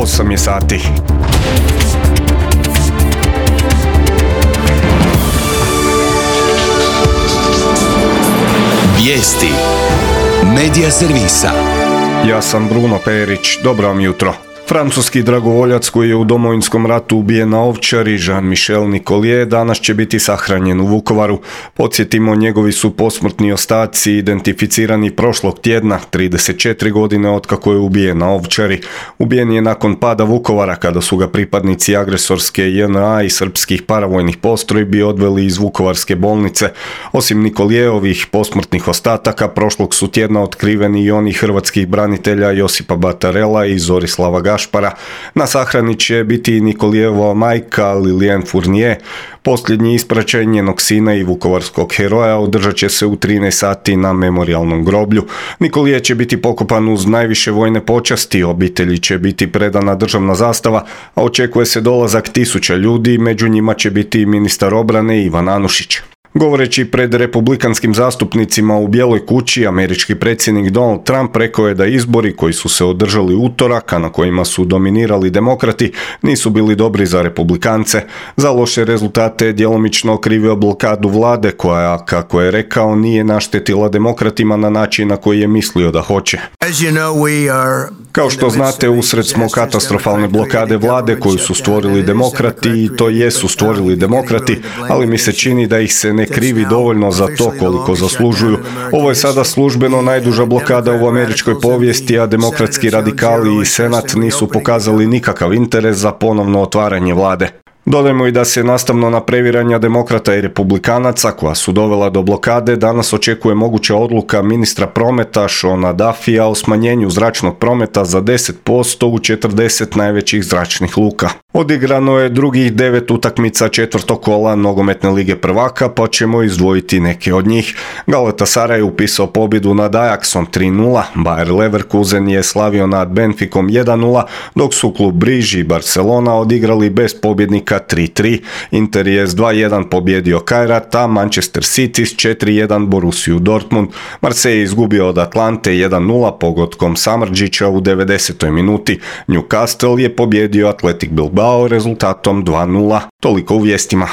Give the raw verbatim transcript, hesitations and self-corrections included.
osam je sati. Vijesti Medija servisa. Ja sam Bruno Perić, dobro vam jutro. Francuski dragovoljac koji je u Domovinskom ratu ubijen na Ovčari, Jean-Michel Nicollier, danas će biti sahranjen u Vukovaru. Podsjetimo, njegovi su posmrtni ostaci identificirani prošlog tjedna, trideset četiri godine otkako je ubijen na Ovčari. Ubijen je nakon pada Vukovara kada su ga pripadnici agresorske J N A i srpskih paravojnih postrojbi odveli iz vukovarske bolnice. Osim Nicollierovih posmrtnih ostataka, prošlog su tjedna otkriveni i oni hrvatskih branitelja Josipa Batarela i Zorislava Gašpara. Na sahrani će biti i Nicollierova majka Liliane Fournier. Posljednji ispraćaj njenog sina i vukovarskog heroja održat će se u trinaest sati na memorijalnom groblju. Nicollier će biti pokopan uz najviše vojne počasti, obitelji će biti predana državna zastava, a očekuje se dolazak tisuća ljudi, među njima će biti i ministar obrane Ivan Anušić. Govoreći pred republikanskim zastupnicima u Bijeloj kući, američki predsjednik Donald Trump rekao je da izbori koji su se održali utorak, a na kojima su dominirali demokrati, nisu bili dobri za republikance. Za loše rezultate je djelomično okrivio blokadu vlade koja, kako je rekao, nije naštetila demokratima na način na koji je mislio da hoće. Kao što znate, usred smo katastrofalne blokade vlade koju su stvorili demokrati i to jesu stvorili demokrati, ali mi se čini da ih se ne krivi dovoljno za to koliko zaslužuju. Ovo je sada službeno najduža blokada u američkoj povijesti, a demokratski radikali i senat nisu pokazali nikakav interes za ponovno otvaranje vlade. Dodajmo i da se nastavno na previranja demokrata i republikanaca koja su dovela do blokade danas očekuje moguća odluka ministra prometa Seana Duffya o smanjenju zračnog prometa za deset posto u četrdeset najvećih zračnih luka. Odigrano je drugih devet utakmica četvrtog kola nogometne lige prvaka, pa ćemo izdvojiti neke od njih. Galatasaray je upisao pobjedu nad Ajaxom tri nula, Bayer Leverkusen je slavio nad Benficom jedan nula, dok su klub Briž i Barcelona odigrali bez pobjednika tri tri. Inter je s dva jedan pobjedio Kairat, a Manchester City s četiri jedan Borussiju Dortmund. Marseille je izgubio od Atlante jedan nula pogodkom Samardžića u devedesetoj minuti. Newcastle je pobjedio Athletic Bilbao rezultatom dva nula. Toliko u vijestima.